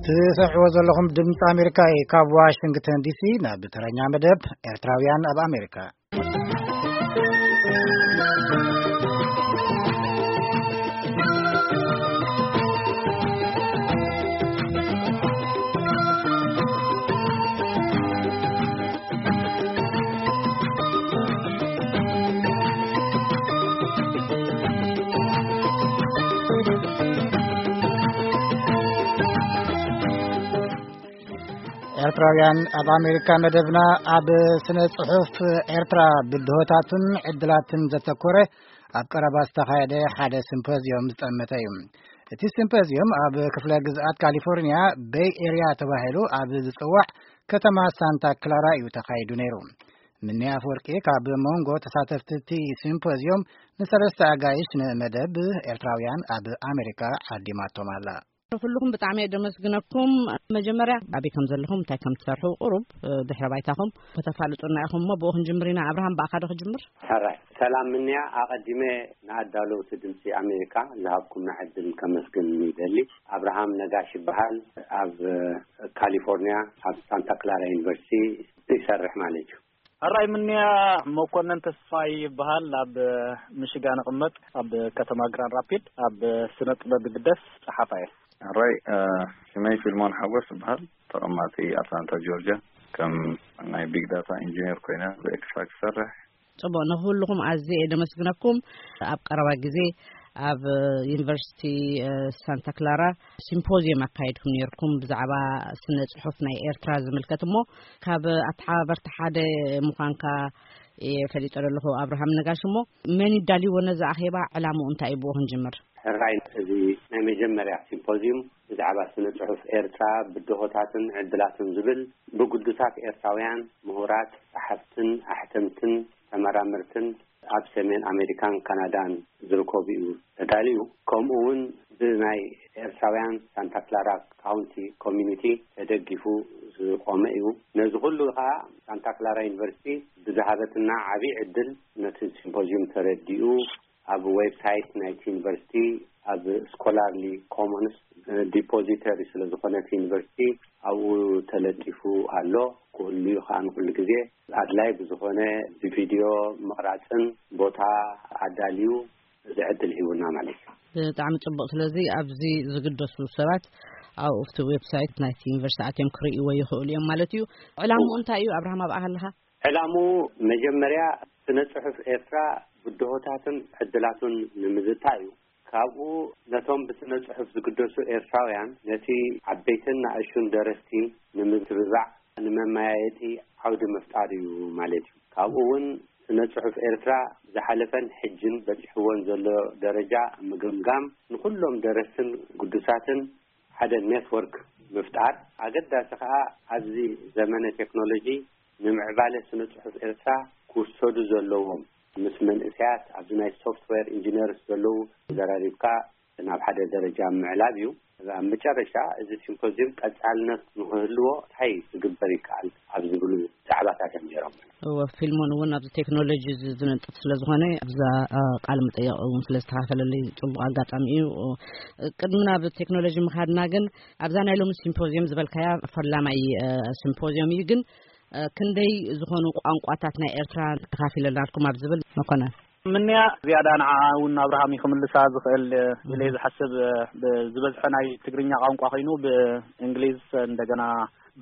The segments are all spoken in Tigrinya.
ትሰምዕዎ ዘለኹም ድምፂ ኣሜሪካ እዩ። ካብ ዋሽንግተን ዲሲ ናብ ተረኛ መደብ ኤርትራውያን ኣብ ኣሜሪካ። ኤርትራውያን ኣብ ኣሜሪካ መደብና ኣብ ስነ ጽሑፍ ኤርትራ ብድሆታትን ዕድላትን ዘተኮረ ኣብ ቀረባ ዝተኻየደ ሓደ ሲምፖዝዮም ዝጠመተ እዩ። እቲ ሲምፖዝዮም ኣብ ክፍለ ግዝኣት ካሊፎርኒያ ቤይ ኤርያ ተባሂሉ ኣብ ዝጽዋዕ ከተማ ሳንታ ክላራ እዩ ተኻይዱ ነይሩ። ምኒ ኣፈወርቂ ካብ መንጎ ተሳተፍቲ እቲ ሲምፖዝዮም ንሰለስተ ኣጋይሽ ንመደብ ኤርትራውያን ኣብ ኣሜሪካ ዓዲማቶም ኣላ። ኩልኹም ብጣዕሚ እየ ደመስግነኩም። መጀመርያ ኣበይ ከም ዘለኹም፣ እንታይ ከም ትሰርሑ፣ ቁሩብ፣ እ፣ ድሕረ ባይታኹም ከተፋልጡና ኢኹም እሞ ብኡ ክንጅምር ኢና። ኣብርሃም፣ ብኣኻ ዶ ክጅምር? ሕራይ። ሰላም ምንያ፣ ኣቐዲመ ንኣዳለውቲ ድምፂ ኣሜሪካ ዝሃብኩምና ዕድል ከመስግን ይደሊ። ኣብርሃም ነጋሽ ይበሃል። ኣብ፣ እ፣ ካሊፎርኒያ ኣብ ሳንታ ክላራ ዩኒቨርሲቲ ይሰርሕ ማለት እዩ። ሕራይ ምንያ፣ መኮነን ተስፋይ ይበሃል። ኣብ ሚሽጋን እቕመጥ፣ ኣብ ከተማ ግራንድ ራፒድ ኣብ ስነ ጥበብ ግደስ ጸሓፋ እየ። ሕራይ፣ እ፣ ሽመይ ፊልሞን ሓጎስ ይበሃል። ተቐማጢ ኣትላንታ ጆርጅያ። ከም ናይ ቢግ ዳታ ኢንጂነር ኮይነ ብኤክስፋክስ ይሰርሕ። ጽቡቕ፣ ንኹልኹም ኣዝየ እየ ደመስግነኩም። ኣብ ቀረባ ግዜ ኣብ ዩኒቨርሲቲ፣ እ፣ ሳንታ ክላራ ሲምፖዚየም ኣካይድኩም ነይርኩም ብዛዕባ ስነ ጽሑፍ ናይ ኤርትራ ዝምልከት እሞ፣ ካብ ኣተሓባበርቲ ሓደ ምዃንካ እየ ፈሊጠ ዘለኹ ኣብርሃም ነጋሽ። እሞ መን ይዳልይዎ ነዚ ኣኼባ? ዕላምኡ እንታይ እዩ? ብኡ ክንጅምር። ሕራይ፣ እዚ ናይ መጀመርያ ሲምፖዚዩም ብዛዕባ ስነ ጽሑፍ ኤርትራ ብድሆታትን ዕድላትን ዝብል ብግዱሳት ኤርትራውያን ምሁራት፣ ጸሓፍትን ኣሕተምትን ተመራመርትን ኣብ ሰሜን ኣሜሪካን ካናዳን ዝርከቡ እዩ ተዳልዩ። ከምኡ እውን ብናይ ኤርትራውያን ሳንታ ክላራ ካውንቲ ኮሚኒቲ ተደጊፉ ዝቆመ እዩ። ነዚ ኩሉ ከዓ ሳንታ ክላራ ዩኒቨርሲቲ ብዝሃበትና ዓብዪ ዕድል ነቲ ሲምፖዚዩም ተረዲኡ ኣብ ዌብሳይት ናይቲ ዩኒቨርሲቲ ኣብ ስኮላርሊ ኮሞንስ ዲፖዚተሪ ስለ ዝኾነ እቲ ዩኒቨርሲቲ ኣብኡ ተለጢፉ ኣሎ። ክህሉ እዩ ከዓ ንኩሉ ግዜ ኣድላይ ብዝኾነ ብቪድዮ ምቕራፅን ቦታ ኣዳልዩ እዚ ዕድል ሂቡና ማለት እዩ። ብጣዕሚ ጽቡቕ። ስለዚ ኣብዚ ዝግደሱ ሰባት ኣብኡ ኣብቲ ዌብሳይት ናይቲ ዩኒቨርሲቲ ኣትዮም ክርእይዎ ይኽእሉ እዮም ማለት እዩ። ዕላምኡ እንታይ እዩ ኣብርሃም፣ ኣብኣ ከለኻ? ዕላምኡ መጀመርያ ስነ ጽሑፍ ኤርትራ ብድሆታትን ዕድላቱን ንምዝታይ እዩ። ካብኡ ነቶም ብስነ ጽሑፍ ዝግደሱ ኤርትራውያን ነቲ ዓበይትን ንኣሽቱን ደረስቲ ንምትብባዕ፣ ንመመያየጢ ዓውዲ ምፍጣር እዩ ማለት እዩ። ካብኡ እውን ስነ ጽሑፍ ኤርትራ ዝሓለፈን ሕጅን በጺሕዎን ዘሎ ደረጃ ምግምጋም፣ ንኹሎም ደረስትን ግዱሳትን ሓደ ኔትወርክ ምፍጣር፣ ኣገዳሲ ከኣ ኣብዚ ዘመነ ቴክኖሎጂ ንምዕባለ ስነ ጽሑፍ ኤርትራ ክውሰዱ ዘለዎም ምስ መንእሰያት ኣብዚ ናይ ሶፍትዌር ኢንጂነርስ ዘለዉ ተዘራሪብካ ናብ ሓደ ደረጃ ምዕላብ እዩ። ኣብ መጨረሻ እዚ ሲምፖዚየም ቀጻልነት ንክህልዎ እንታይ ክግበር ይከኣል ኣብ ዝብሉ ዛዕባታት እዮም ነይሮም። እወ፣ ፊልሞን እውን ኣብዚ ቴክኖሎጂ ዝ-፣ ዝነጥፍ ስለ ዝኾነ ኣብዛ፣ እ፣ ቃለ መጠይቕ እውን ስለ ዝተኻፈለለይ ጽቡቕ ኣጋጣሚ እዩ። ቅድሚ ናብ ቴክኖሎጂ ምኻድና ግን ኣብዛ ናይ ሎሚ ሲምፖዚየም ዝበልካያ ፈላማይ፣ እ፣ ሲምፖዚየም እዩ። ግን፣ እ፣ ክንደይ ዝኾኑ ቋንቋታት ናይ ኤርትራ ተኻፊለናልኩም ኣብ ዝብል መኮነን? ምንያ ዝያዳ ንዓ እውን ኣብርሃም እዩ ክምልሳ ዝኽእል ኢለ እየ ዝሓስብ። ብ-፣ ዝበዝሐ ናይ ትግርኛ ቋንቋ ኮይኑ ብእንግሊዝ እንደገና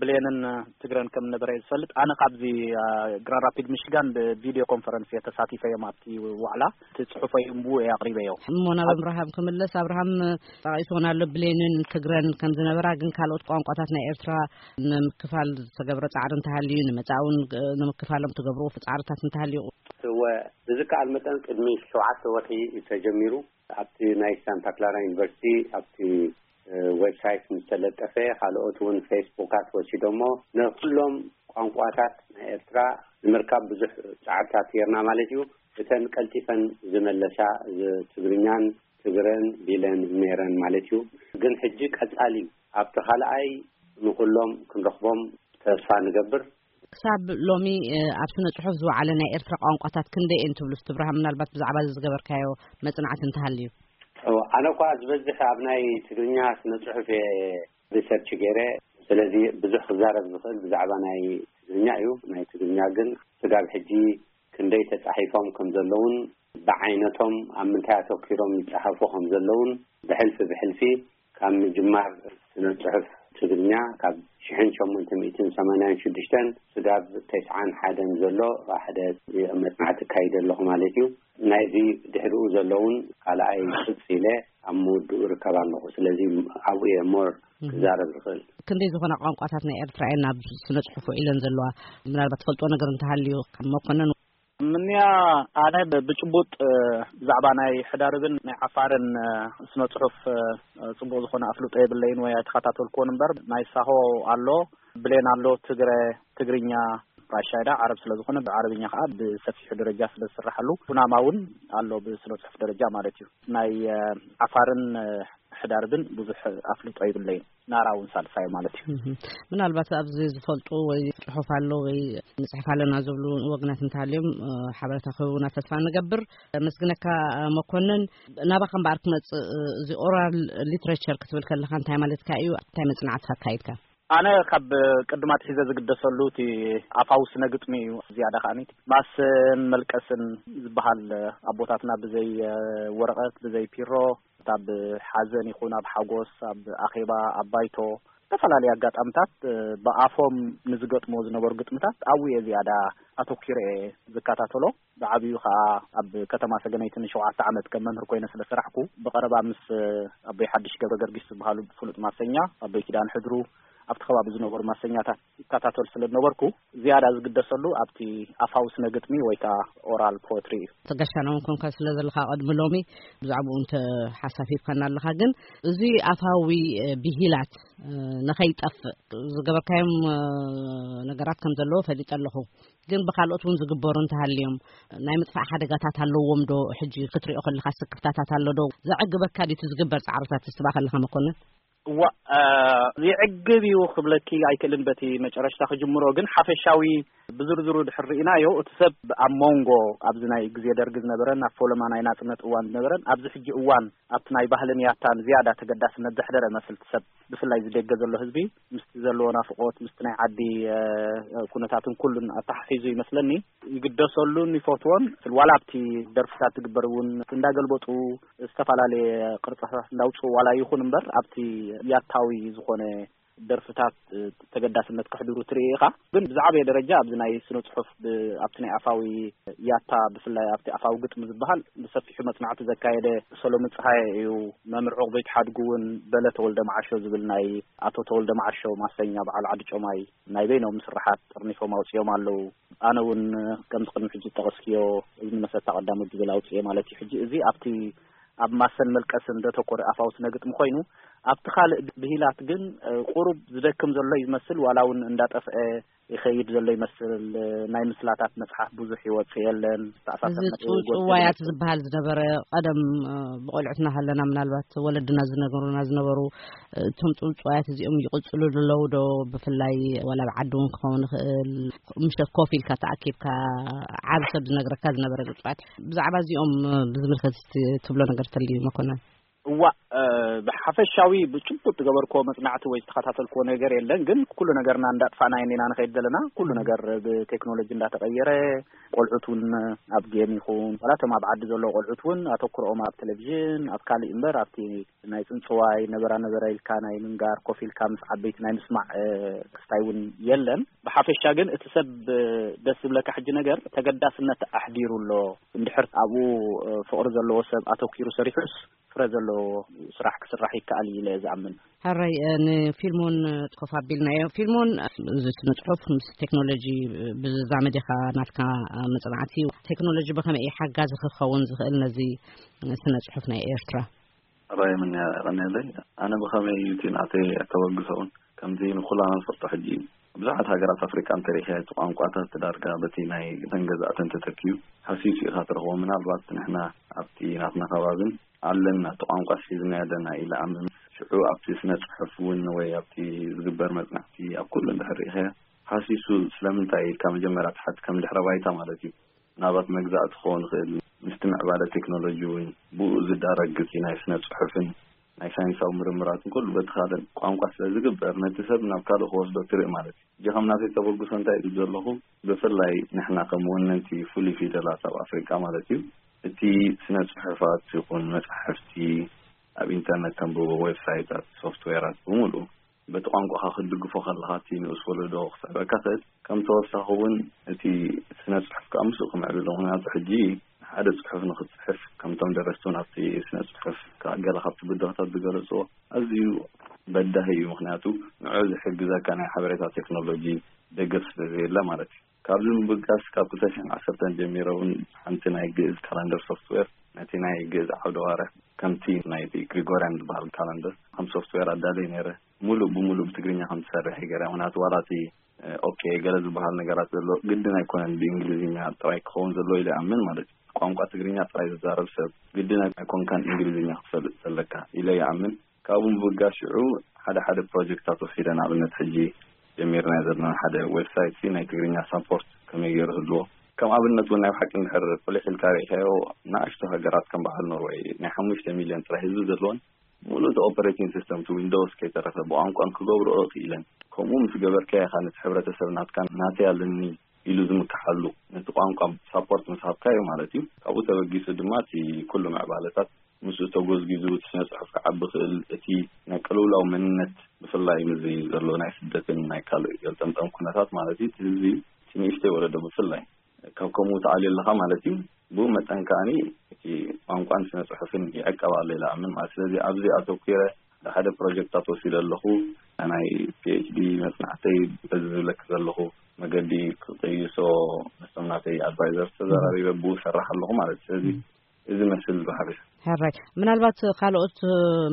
ብሌንን ትግረን ከም ነበረ እየ ዝፈልጥ። ኣነ ካብዚ፣ አ፣ ግራንድ ራፒድ ሚሽጋን ብቪዲዮ ኮንፈረንስ እየ ተሳቲፈዮም ኣብቲ ዋዕላ። እቲ ጽሑፈይ እምቡ እየ ኣቕሪበዮ። እሞ ናብ ኣብርሃም ክምለስ፣ ኣብርሃም ጠቒስዎን ኣሎ ብሌንን ትግረን ከም ዝነበራ፣ ግን ካልኦት ቋንቋታት ናይ ኤርትራ ንምክፋል ዝተገብረ ጻዕሪ እንተሃልዩ፣ ንመጻእውን ንምክፋሎም ትገብርዎ ጻዕርታት እንተሃልዩ? እወ፣ ብዝከኣል መጠን ቅድሚ ሸውዓተ ወርሒ እዩ ተጀሚሩ። ኣብቲ ናይ ሳንታ ክላራ ዩኒቨርሲቲ ኣብቲ፣ እ፣ ዌብሳይት ምስ ተለጠፈ፣ ካልኦት እውን ፌስቡካት ወሲዶሞ፣ ንኩሎም ቋንቋታት ናይ ኤርትራ ንምርካብ ብዙሕ ጻዕርታት ጌርና ማለት እዩ። እተን ቀልጢፈን ዝመለሳ፣ ዝ-፣ ትግርኛን ትግረን ቢለን ነይረን ማለት እዩ። ግን ሕጂ ቀጻሊ እዩ። ኣብቲ ካልኣይ ንኩሎም ክንረኽቦም ተስፋ ንገብር። ክሳብ ሎሚ፣ እ፣ ኣብ ስነ ጽሑፍ ዝወዓለ ናይ ኤርትራ ቋንቋታት ክንደይ እየን ትብሉ? እስቲ ብርሃን፣ ምናልባት ብዛዕባ እዚ ዝገበርካዮ መጽናዕቲ እንተሃልዩ። እወ፣ ኣነ እኳ ዝበዝሕ ኣብ ናይ ትግርኛ ስነ ጽሑፍ እየ ሪሰርች ገይረ። ስለዚ ብዙሕ ክዛረብ ዝኽእል ብዛዕባ ናይ ትግርኛ እዩ። ናይ ትግርኛ ግን ስጋብ ሕጂ ክንደይ ተጻሒፎም ከም ዘለውን ብዓይነቶም ኣብ ምንታይ ኣተኪሮም ይጸሓፉ ከም ዘለውን ብሕልፊ ብሕልፊ ካብ ምጅማር ስነ ጽሑፍ ትግርኛ ካብ ሽሕን ሸሞንተ ሚእትን ሰማንያን ሽዱሽተን ስጋብ ተስዓን ሓደን ዘሎ ሓደ መጽናዕቲ እካይደ ኣለኹ ማለት እዩ። ናይዚ ድሕሪኡ ዘለውን ካልኣይ ቅጽ ኢለ ኣብ ምውድኡ ርከብ ኣለኹ። ስለዚ ኣብኡ እየ ሞር ክዛረብ ዝኽእል። ክንደይ ዝኾና ቋንቋታት ናይ ኤርትራ እየን ናብ ስነ ጽሑፍ ውዒለን ዘለዋ? ምናልባት ትፈልጦ ነገር እንተሃልዩ ካብ መኮነን። ምንያ ኣነ ብ- ብጭቡጥ እ፣ ብዛዕባ ናይ ሕዳርብን ናይ ዓፋርን እ፣ ስነ ጽሑፍ እ፣ ጽቡቕ ዝኾነ ኣፍልጦ የብለይን ወይ ኣይተኸታተልኩዎን እምበር ናይ ሳሆ ኣሎ፣ ብሌን ኣሎ፣ ትግረ፣ ትግርኛ፣ ራሻይዳ ዓረብ ስለ ዝኾነ ብዓረብኛ ከዓ ብሰፊሑ ደረጃ ስለ ዝስራሓሉ ኩናማ እውን ኣሎ ብስነ ጽሑፍ ደረጃ ማለት እዩ። ናይ እ፣ ዓፋርን እ፣ ሕዳርብን ብዙሕ ኣፍልጦ ይብለይን። ናራ እውን ሳልሳይ ማለት እዩ። እህ። ምናልባት ኣብዚ ዝፈልጡ ወይ ጽሑፍ ኣሎ ወይ ንጽሕፍ ኣለና ዝብሉ ወገናት እንተሃልዮም እ፣ ሓበሬታ ክህቡና ተስፋ ንገብር። መስግነካ እ፣ መኮንን። ናባኻ እምበኣር ክመጽእ እ፣ እዚ ኦራል ሊትሬቸር ክትብል ከለኻ እንታይ ማለትካ እዩ? እንታይ መጽናዕቲ ኣካይድካ? ኣነ ካብ ቅድማት ሒዘ ዝግደሰሉ እቲ ኣፋዊ ስነ ግጥሚ እዩ። ዝያዳ ከዓኒ ማስን መልቀስን ዝበሃል ኣቦታትና ብዘይ እ፣ ወረቐት ብዘይ ፒሮ ኣብ ሓዘን ይኹን ኣብ ሓጎስ ኣብ ኣኼባ ኣብ ባይቶ ዝተፈላለዩ ኣጋጣምታት እ፣ ብኣፎም ንዝገጥሞ ዝነበሩ ግጥምታት ኣብኡ እየ ዝያዳ ኣተኪረ እየ ዝከታተሎ። ብዓብዩ ከዓ ኣብ ከተማ ሰገነይቲ ንሸውዓተ ዓመት ከም መምህር ኮይነ ስለ ሰራሕኩ ብቐረባ ምስ ኣቦይ ሓድሽ ገብረ ገርጊስ ዝበሃሉ ፍሉጥ ማሰኛ ኣቦይ ኪዳን ሕድሩ ኣብቲ ከባቢ ዝነበሩ ማሰኛታት ይከታተል ስለ ዝነበርኩ ዝያዳ ዝግደሰሉ ኣብቲ ኣፋዊ ስነ ግጥሚ ወይ ከዓ ኦራል ፖትሪ እዩ። ተጋሻና እውን ኮንካ ስለ ዘለካ ቅድሚ ሎሚ ብዛዕባኡ እንተ ሓሳብ ሂብካና ኣለካ። ግን እዚ ኣፋዊ እ፣ ብሂላት እ፣ ንኸይጠፍእ ዝገበርካዮም እ፣ ነገራት ከም ዘለዎ ፈሊጠ ኣለኹ። ግን ብካልኦት እውን ዝግበሩ እንተሃልዮም ናይ ምጥፋእ ሓደጋታት ኣለዎም ዶ? ሕጂ ክትሪኦ ከለካ ስክፍታታት ኣሎ ዶ? ዘዕግበካ ድዩ እቲ ዝግበር ጻዕርታት ትስባ ከለካ መኮንን? እዋ እ፣ ይዕግብ እዩ ክብለኪ ኣይክእልን በቲ መጨረሽታ ክጅምሮ፣ ግን ሓፈሻዊ ብዝርዝሩ ድሕር ርኢናዮ እቲ ሰብ ኣብ መንጎ ኣብዚ ናይ ግዜ ደርጊ ዝነበረን ኣብ ፎለማ ናይ ናጽነት እዋን ዝነበረን ኣብዚ ሕጂ እዋን ኣብቲ ናይ ባህልን ያታን ዝያዳ ተገዳስነት ዘሕደረ መስልቲ ሰብ ብፍላይ ዝደገ ዘሎ ህዝቢ ምስቲ ዘለዎ ናፍቆት ምስቲ ናይ ዓዲ እ፣ ኩነታትን ኩሉን ኣተሓሒዙ ይመስለኒ ይግደሰሉን ይፈትዎን። ዋላ ኣብቲ ደርፍታት ትግበር እውን እንዳገልበጡ ዝተፈላለየ ቅርጻታት እንዳውጽኡ ዋላ ይኹን እምበር ኣብቲ ያታዊ ዝኾነ ደርፍታት እ፣ ተገዳስነት ከሕድሩ ትርኢ ኢኻ። ግን ብዝዓበየ ደረጃ ኣብዚ ናይ ስነ ጽሑፍ ብ- ኣብቲ ናይ ኣፋዊ ያታ ብፍላይ ኣብቲ ኣፋዊ ግጥሚ ዝበሃል ብሰፊሑ መጽናዕቲ ዘካየደ ሰሎሚ ጸሃየ እዩ። መምህር ዕቑበይ ተሓድጉ እውን በለ ተወልደ መዓሾ ዝብል ናይ ኣቶ ተወልደ መዓሾ ማሰኛ በዓል ዓዲ ጮማይ ናይ በይኖም ስርሓት ጥርኒፎም ኣውጺኦም ኣለዉ። ኣነ እውን ከምዚ ቅድሚ ሕጂ ዝጠቐስክዮ እዝኒ መሰታ ቀዳሞት ዝብል ኣውጽኤ ማለት እዩ። ሕጂ እዚ ኣብቲ ኣብ ማሰን መልቀስን ዘተኮረ ኣፋዊ ስነ ግጥሚ ኮይኑ ኣብቲ ካልእ ብሂላት ግን እ፣ ቁሩብ ዝደክም ዘሎ እዩ ዝመስል ዋላ እውን እንዳጠፍአ ይኸይድ ዘሎ ይመስል። እ፣ ናይ ምስላታት መጽሓፍ ብዙሕ ይወጽእ የለን። ተኣሳሰር እዚ ነጥቢ ይጎድል ጽውጽዋያት ይመስል። ዝበሃል ዝነበረ ቀደም እ፣ ብቆልዑትና ሃለና ምናልባት ወለድና ዝነገሩና ዝነበሩ እ፣ እቶም ጽውጽዋያት እዚኦም ይቕጽሉ ኣለዉ ዶ? ብፍላይ ዋላ ብዓዲ እውን ክኸውን ይኽእል ምሸት ኮፍ ኢልካ ተኣኪብካ ዓብ ሰብ ዝነግረካ ዝነበረ ግጹዓት ብዛዕባ እዚኦም እ፣ ብዝምልከት እስቲ ትብሎ ነገር ተልዩ መኮነን? እዋ እ፣ ብሓፈሻዊ ብጭቡጥ ዝገበርክዎ መጽናዕቲ ወይ ዝተኸታተልክዎ ነገር የለን። ግን ኩሉ ነገርና እንዳጥፋና ኢና ንኸይድ ዘለና። ኩሉ ነገር ብቴክኖሎጂ እንዳተቐየረ ቆልዑት እውን ኣብ ጌም ይኹን ዋላ እቶም ኣብ ዓዲ ዘለዉ ቆልዑት እውን ኣተኩሮኦም ኣብ ቴሌቪዥን ኣብ ካልእ እምበር ኣብቲ ናይ ጽንጽዋይ ነበራ ነበረ ኢልካ ናይ ምንጋር ኮፍ ኢልካ ምስ ዓበይቲ ናይ ምስማዕ እ፣ ክስታይ እውን የለን። ብሓፈሻ ግን እቲ ሰብ እ፣ ደስ ዝብለካ ሕጂ ነገር ተገዳስነት ኣሕዲሩ ኣሎ። እንድሕር ኣብኡ እ፣ ፍቕሪ ዘለዎ ሰብ ኣተኪሩ ሰሪሑስ ፍረ ዘለዎ ስራሕ ክስራሕ ይከኣል እዩ ኢለ እየ ዝኣምን። ሕራይ እ፣ ንፊልሞን እ፣ ኮፍ ኣቢልናዮ። ፊልሞን እ፣ እዚ ስነ ጽሑፍ ምስ ቴክኖሎጂ እ፣ ብዝዛመድ ኢኻ ናትካ እ፣ መጽናዕቲ ቴክኖሎጂ ብኸመይ እዩ ሓጋዚ ክኸውን ዝኽእል ነዚ እ፣ ስነ ጽሑፍ ናይ ኤርትራ? ራይ ምንያ ቀኒለይ። ኣነ ብኸመይ እዩ እቲ ናተይ ኣተበግሶ እውን ከምዚ ንኩላና ንፈልጦ ሕጂ እዩ። ብዙሓት ሃገራት ኣፍሪቃ እንተሪእኻ እቲ ቋንቋታት ዳርጋ በቲ ናይ ተን ገዛእተን ተተኪዩ ሃሲሱ ኢኻ ትረኽቦ። ምናልባት ንሕና ኣብቲ ናትና ከባብን ኣለና እቲ ቋንቋ ሒዝና ኣለና ኢለ ኣምን። ሽዑ ኣብቲ ስነ ጽሑፍ እውን ወይ ኣብቲ ዝግበር መጽናዕቲ ኣብ ኩሉ እንድሕር ርኢኻዮ ሃሲሱ ስለምንታይ ኢልካ መጀመርያ ትሓት ከም ድሕረ ባይታ ማለት እዩ። ናባት መግዛእቲ ክኸውን ይኽእል። ምስቲ ምዕባለ ቴክኖሎጂ እውን ብኡ ዝዳረግ እቲ ናይ ስነ ጽሑፍን ናይ ሳይንሳዊ ምርምራትን ኩሉ በቲ ካልእ ቋንቋ ስለ ዝግበር፣ ነቲ ሰብ ናብ ካልእ ክወስዶ ትርኢ ማለት እዩ። እጂ ከም ናተይ ተበግሶ እንታይ ኢሉ ዘለኹ፣ ብፍላይ ንሕና ከም ወነንቲ ፍሉይ ፊደላት ኣብ ኣፍሪቃ ማለት እዩ፣ እቲ ስነ ጽሑፋት ይኹን መጻሕፍቲ፣ ኣብ ኢንተርነት ተንብቦ፣ ዌብሳይታት፣ ሶፍትዌራት ብምሉእ በቲ ቋንቋኻ ክትድግፎ ከለኻ፣ እቲ ንኡስ ወለዶ ክስዕበካ ክእል። ከም ተወሳኺ እውን እቲ ስነ ጽሑፍ ከዓ ምስኡ ክምዕብል፣ ምኽንያቱ ሕጂ ሓደ ጽሑፍ ንክትጽሕፍ፣ ከምቶም ደረስቲ እውን ኣብቲ ስነ ጽሑፍ፣ ገለ ካብቲ ብድሆታት ዝገለጽዎ፣ ኣዝዩ በዳሂ እዩ። ምኽንያቱ ንዑ ዝሕግዘካ ናይ ሓበሬታ ቴክኖሎጂ ደገፍ ስለ ዘየለ ማለት እዩ። ካብዚ ምብጋስ፣ ካብ ክልተ ሽሕን ዓሰርተን ጀሚረ እውን ሓንቲ ናይ ግእዝ ካላንደር ሶፍትዌር፣ ነቲ ናይ ግእዝ ዓውደ ዋርሕ ከምቲ ናይቲ ግሪጎርያን ዝበሃል ካላንደር ከም ሶፍትዌር ኣዳለየ ነይረ። ሙሉእ ብሙሉእ ብትግርኛ ከም ትሰርሕ ይገርያ። ምኽንያቱ ዋላ እቲ፣ እ፣ ኦኬ፣ ገለ ዝበሃል ነገራት ዘሎ ግድን ኣይኮነን ብእንግሊዝኛ ጥራይ ክኸውን ዘለዎ ኢለ ይኣምን ማለት እዩ። ቋንቋ ትግርኛ ጥራይ ዝዛረብ ሰብ ግድን ኣይኮንካን እንግሊዝኛ ክትፈልጥ ዘለካ ኢለ ይኣምን። ካብኡ ምብጋስ ሽዑ ሓደ ሓደ ፕሮጀክታት ወሲደ፣ ንኣብነት ሕጂ ጀሚርናዮ ዘለና ሓደ ዌብሳይት ሲ ናይ ትግርኛ ሳፖርት ከመይ ገይሩ ህልዎ። ከም ኣብነት እውን ናይ ብሓቂ እንድሕር ቁሊሕ ኢልካ ርኢኻዮ፣ ንኣሽቱ ሃገራት ከም በዓል ኖርወይ ናይ ሓሙሽተ ሚልዮን ጥራይ ህዝቢ ዘለዎን፣ ሙሉእ እቲ ኦፐሬቲንግ ሲስተም እቲ ዊንዶውስ ከይተረፈ ብቋንቋን ክገብርኦ ክኢለን። ከምኡ ምስ ገበርካዮ ኢኻ ነቲ ሕብረተሰብ ናትካን ናተይ ኣለኒ ኢሉ ዝምክሓሉ፣ ነቲ ቋንቋ ሳፖርት ምስ ሃብካዮ ማለት እዩ። ካብኡ ተበጊሱ ድማ እቲ ኩሉ ምዕባለታት ምስኡ ተጎዝጊዙ እቲ ስነ ጽሑፍ ክዓቢ ክእል፣ እቲ ናይ ቅልውላው መንነት ብፍላይ ምስዚ ዘሎ ናይ ስደትን ናይ ካልእ ገልጠምጠም ኩነታት ማለት እዩ፣ እቲ ህዝቢ እቲ ንእሽተይ ወለዶ ብፍላይ ካብ ከምኡ ትዓልዮ ኣለኻ ማለት እዩ። ብኡ መጠን ከኣኒ እቲ ቋንቋን ስነ ጽሑፍን ይዕቀብ ኣሎ ኢለ ኣምን ማለት። ስለዚ ኣብዚ ኣተኲረ ሓደ ሓደ ፕሮጀክታት ወሲደ ኣለኹ። ናይ ፒ ኤች ዲ መጽናዕተይ በዚ ዝብለኪ ዘለኹ መገዲ ክቅይሶ ምስቶም ናተይ ኣድቫይዘር ተዘራሪበ ብኡ ሰራሕ ኣለኹ ማለት። ስለዚ እዚ መስል ብሓፈሻ። ሕራይ፣ ምናልባት ካልኦት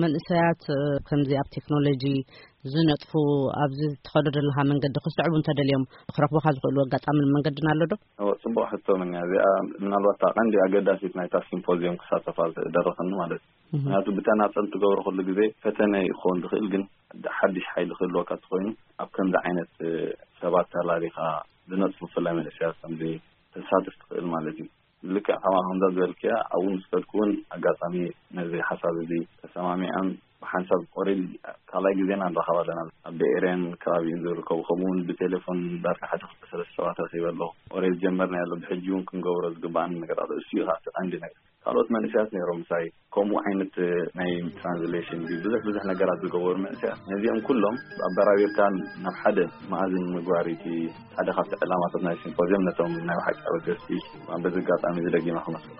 መንእሰያት ከምዚ ኣብ ቴክኖሎጂ ዝነጥፉ ኣብዚ ትኸዶ ዘለኻ መንገዲ ክስዕቡ እንተደልዮም ክረኽቡኻ ዝኽእሉ ኣጋጣምን መንገድን ኣሎ ዶ? እወ፣ ጽቡቕ ሕቶ ምንያ እዚኣ። ምናልባት እታ ቀንዲ ኣገዳሲት ናይታ ሲምፖዚየም ክሳተፋ ዝደረኸኒ ማለት እዩ። ምኽንያቱ ብተናጸል ትገብሮ ኩሉ ግዜ ፈተነ ክኸውን ዝኽእል፣ ግን ሓድሽ ሓይሊ ክህልወካ እንተኾይኑ ኣብ ከምዚ ዓይነት ሰባት ተላሊኻ ዝነጥፉ ብፍላይ መንእሰያት ከምዚ ተሳትፍ ትኽእል ማለት እዩ። ልክዕ ከማኻ ከምዛ ዝበልክያ ኣብኡ ምስ ከድኩ እውን ኣጋጣሚ ነዚ ሓሳብ እዚ ተሰማሚዖም ብሓንሳብ ኦሬዲ ካልኣይ ግዜና ንራኸብ ኣለና። ኣብ ቤኤርያን ከባቢኡን ዝርከቡ ከምኡ እውን ብቴሌፎን ዳርጋ ሓደ ክልተ ሰለስተ ሰባት ረኺበ ኣለኹ። ኦሬዲ ጀመርና ያለ ብሕጂ እውን ክንገብሮ ዝግባኣኒ ነገራት እሱ እዩ። ካብቲ ቀንዲ ነገር ካልኦት መንእሰያት ነይሮም ምሳይ ከምኡ ዓይነት ናይ ትራንስሌሽን ብዙሕ ብዙሕ ነገራት ዝገበሩ መንእሰያት ነዚኦም ኩሎም ኣበራቢርካ ናብ ሓደ መኣዝን ምግባር እቲ ሓደ ካብቲ ዕላማታት ናይ ሲምፖዚየም ነቶም ናይ ብሓቂ ኣበገስቲ በዚ ኣጋጣሚ እዚ ደጊማ ክመስል።